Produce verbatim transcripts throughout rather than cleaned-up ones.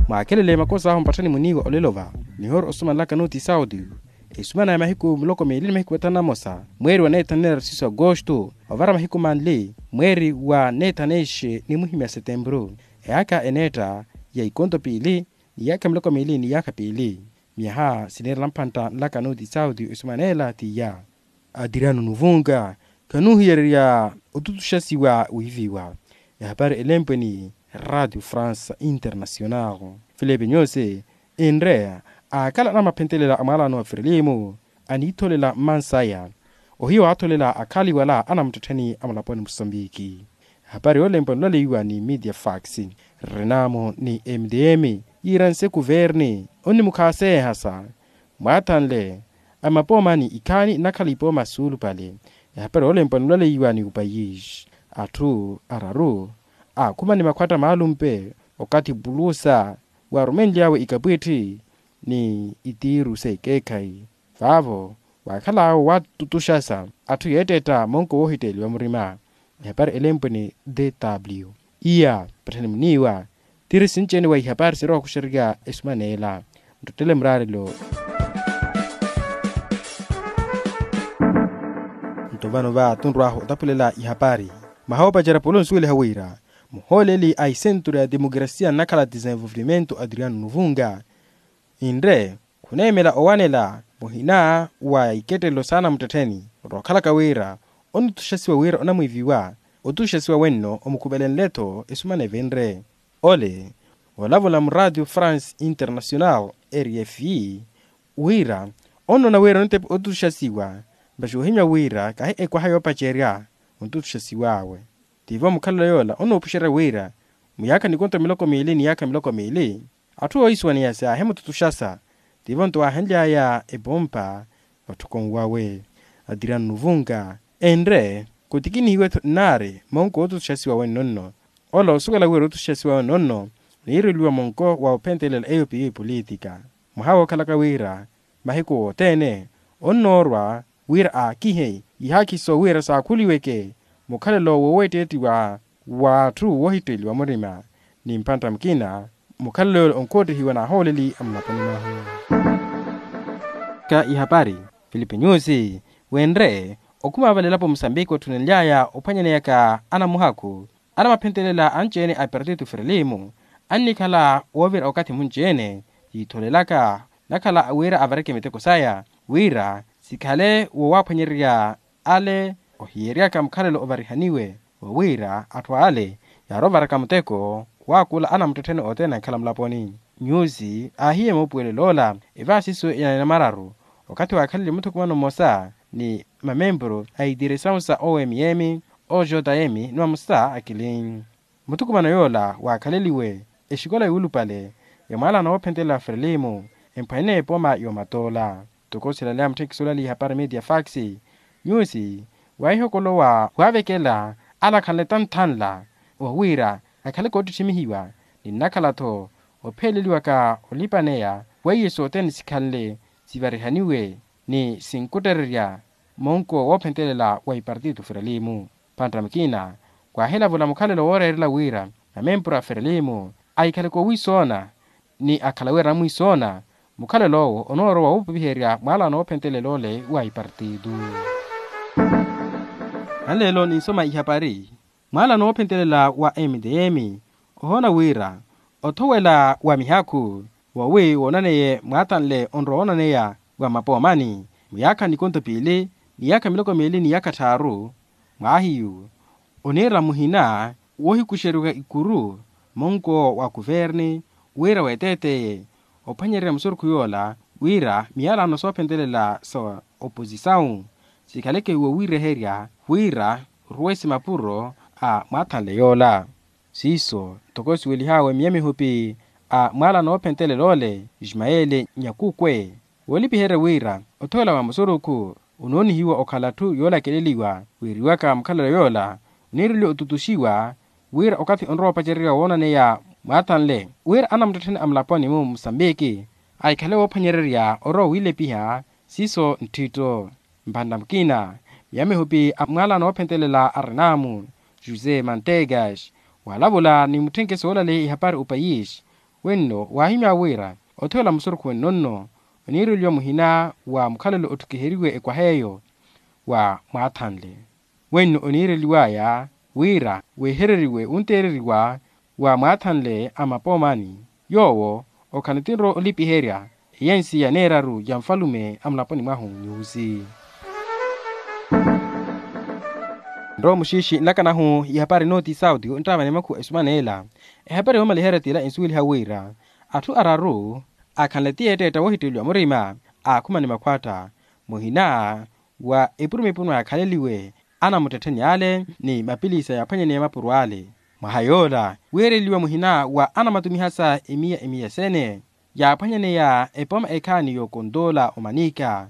Mwaakelele makosa ahu mpatthani muniiwa olelo va, nihoori osumanelaka nuti sauti. Esumana ya mahiku miloko miili ni mahiku mathanu na mosa, mweeri wa neethanela risiso agosto, ovara mahiku manli mweeri wa neethaneixe ni muhimya setempuru. Eyaakha eneetta ya ikonto piili ni yaakha miloko miili ni yaakha piili. Myaha siniirela mphantta nlaka nuti sauti esumanela tiya. Adriano nuvunga, khanuuhiyererya otutuxasiwa wiiviwa. Ehapari elempwe ni radio france international filipe nyusi, enre akhala anamaphentelela a mwaalano wa firilimu aniitholela mmansaya. Ohiya waatholela akhaliwala anamuttettheni a mulaponi musambiki. Ehapari yoolempwa nulaleiwa ni media fax, renamo ni mdm, yiira nse kuverni onnimukhaaseehasa mwaathanle a mapoomani ikhaani nnakhala ipooma suulupale. Ehapari yoolempwa nulaleiwa ni upayisi, atthu araru aakhuma ni makhwatta maalumpe okathi pulusa waarumenly'awe ikapwitthi ni itiiru s'ekeekhayi. Vaavo waakhal'awe waatutuxasa atthu yeetteetta monko woohitteeliwa murima. Ehapari elempwe ni dw iya patthani muniiwa. Tiri sinci-ene wa ihapari sirowa okuxererya esumaneela. Nttottele muraarelo. Nto vano va tunrw'ahu otapulela ihapari. Mwaha woopacerya paulo onsuweliha wira muhooleli a isenturu ya demokrasia nnakhala desenvolvimento adriano nuvunga, inre khuneemela owanela muhina wa ikettelelo s'anamuttettheni. Rookhalaka wira onituxasiwa wira onamwiiviwa otuxasiwa wenno omukhupelenle-tho esumana evinre. Ole olavula mu radio france international rfe wira onnoona wira onitepe otuxasiwa. Mpaxi ohimya wira kahi ekwaha yoopacerya ontuxasiw'awe. Tivo mukhalelo yoola onoopuxerya wira muyaakha nikonto miloko miili ni yaakha miloko miili atthu oohisuwaneya saahimututuxasa. Tivo nto waahenly'aya epompa vatthukonwawe. Adriano nuvunga enre khutikinihiwe-tho nnaari monko wootutuxasiwa wenno nno. Ola osuwela wira otutuxasiwa wenno nno niireliwa monko wa ophentelela eyo piyo epolitika. Mwaha wookhalaka wira mahiku wothene onnoorwa wira aakihe ihaakhiso wira saakhuliweke mukhalelo woweetteettiwa w'atthu woohitteeliwa murima. Ni mphantta mukina mukhalelo yoola onkoottihiwa n'ahooleli a mulaponi mwahu. Ka ihapari filipe nyusi wenre okhuma vale elapo musambiki otthunenly'aya ophwanyaneyaka anamuhakhu anamaphentelela anci-ene a partitu firilimu annikhala woovira okathi munci-ene yiitholelaka nakhala wira avareke miteko saya wira sikhale wowaaphwanyererya ale ohiyeryaka mukhalelo ovarihaniwe. Wa wira atthu ale yaarovaraka muteko waakula anamuttettheni othene ankhala mulaponi. Nyusi aahiye moopuwelel'ola evaasiso ya namararu okathi waakhalele muthukumano mmosa ni mamempuru a itiresawu sa omm, ojm ni mamosa akili. Muthukumano yoola waakhaleliwe exikola yuulupale ya mwaalano woophentelela ferelimu emphwanene epooma yoomatoola. Ntoko silaleya mutthekisi olaliha para media fax nyusi waahihokolowa waavekela alakhanle tanthanla wa wira akhale koottitthimihiwa ni nnakhala-tho opheeleliwaka olipaneya weiye sothene sikhanle sivarihaniwe ni sinkuttererya monko woophentelela wa ipartito ferelimu. Panttamaki ina khwahilavula mukhalelo wooreerela wira namempura a ferelimu ahikhale koowiisoona ni akhala wira anamwiisoona mukhalelo owo onoorowa woopipiherya mwaalano woophentelela ole wa ipartito. Anleelo ninsoma ihapari mwaalano woophentelela wa mtm ohoona wira othowela wa mihaakhu wowi woonaneye mwaathanle onrowa woonaneya wa mapoomani muyaakha nikonto piili ni yaakha miloko miili ni yaakha tthaaru mwaahiyu oniira muhina woohikuxeriwa ikuru monko wa kuverni wira weeteeteye ophwanyererya musurukhu yoola wira miyalano soophentelela sa oposisawu sikhaleke wowiireherya wira ruwesi mapuro a mwaathanle yoola. Siiso ntoko siwelihaawe miya mihupi a mwaalano woophentelela ole ismayeli nyakukwe woolipiherya wira othowela wa musurukhu onoonihiwa okhala atthu yoolakeleliwa wiiriwaka mukhalelo yoola oniireliwa otutuxiwa wira okathi onrowa opacererya woonaneya mwaathanle wira anamuttettheni a mulaponi-mu musambiki ahikhale woophwanyererya orowa wiilepiha siiso ntthitto. Mphantta mukina miya mihupi a mwaalano woophentelela a renamu josé mantegas waalavula ni mutthenkeso woolaleya ihapari opayisi Wenno waahimya wira othiyela musurukhu wenno-nno oniireliwa muhina wa mukhalelo otthukiheriwe ekwaha eyo wa mwaathanle. Wenno oniireliw'aya wira wehereriwe wunteereriwa wa mwaathanle a mapoomani yoowo okhala ntinro olipiherya eyensi ya neeraru ya nfalume a mulaponi mwahu nyusi. Nrowa muxiixi nlakanahu ihapari nooti sauti nttaavani makhuwa esumaneela. Ehapari yoomaliherya t'ila ensuweliha wira atthu araru akhanle ti yeetteetta woohitteliwa murima aakhumani makhwatta muhina wa epurumipuru mwaakhaleliwe anamuttettheni ale ni mapilisa yaaphwanyaneya mapuro ale. Mwaha yoola wiireliwa muhina wa anamatumihasa emiya emiya sene yaaphwanyaneya epooma ekhaani y'okontoola omanika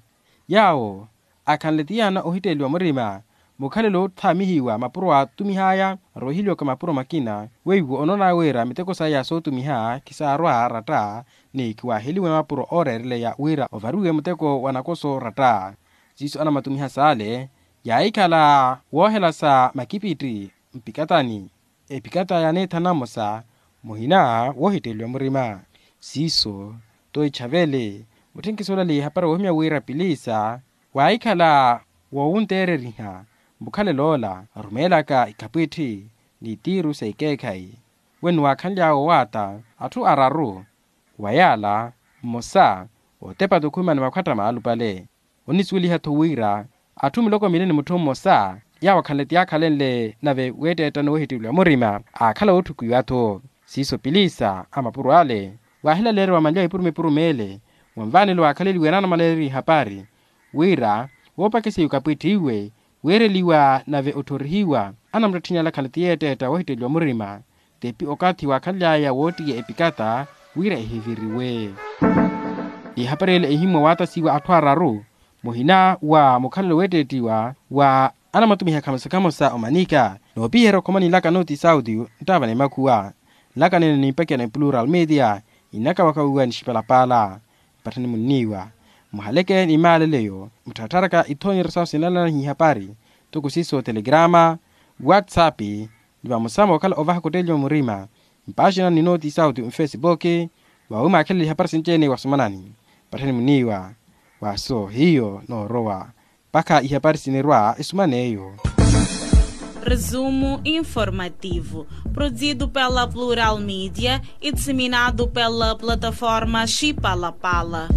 yaawo akhanle ti yaana ohitteliwa murima mukhalelo otthaamihiwa mapuro aatumih'aya. Roohiliwaka mapuro makina weiwo onoona wira miteko saya sootumiha khisaarwa ratta ni khiwaaheliwe mapuro ooreereleya wira ovariwe muteko wa nakoso ratta. Siiso anamatumiha saale yaahikhala woohelasa makipitti mpikatani epikata yaneethana mmosa muhina woohitteliwa murima. Siiso t'o ichavele mutthenkisoolali ehapari woohimya wira pilisa waahikhala woowunteereriha mukhalelo ola arumeelaka ikhapwitthi ni tiiru s'ekeekhayi. Wenno waakhanly'awe owaata atthu araru wa yaala mmosa ootepata okhumani makhwatta maalupale. Onisuweliha-tho wira atthu miloko mili ni mutthu mmosa yaawo akhanle ti yaakhalenle nave weetteetta ni woohitteliwa murima aakhala wootthukiwa-tho. Siiso pilisa a mapuro ale waahilaleeriwa manlya epurumipuru meele mwa nvaanelo waakhaleliwe naanamaleriwa ihapari wira woopakiseiwa okapitthiwe wiireliwa nave otthorihiwa anamuttettheni ale akhanle ti yeetteetta woohitteliwa murima. Tepi okathi waakhanly'aya woottiya epikata wira ehiviriwe. Ihapari ele ehimmwa waatasiwa atthu araru muhina wa mukhalelo weetteettiwa wa anamatumiha khamosa khamosa omanika noopiherya okhoma ninlaka nooti sauti nttaavani makhuwa. Nlakanene ni mpakiya ni plural media inakawakawiwa ni xipalapaala. Mpatthani munniiwa muhaleke ni maaleleyo muttharatharaka ithooni rasasi nalana n'ihapari toko siiso telegrama whatsapp ni vamosa mookhala ovaha kutteeliwa murima mpaaxina ni nooti sauti mfesipoki. Vaawi mwaakhelele ihapari sinci-ene wasomanani mpatthani muniiwa waaso hiyo noorowa mpakha ihapari sinirwa esuman'eyo. Resumo informativo produzido pela plural media e disseminado pela plataforma xipalapala.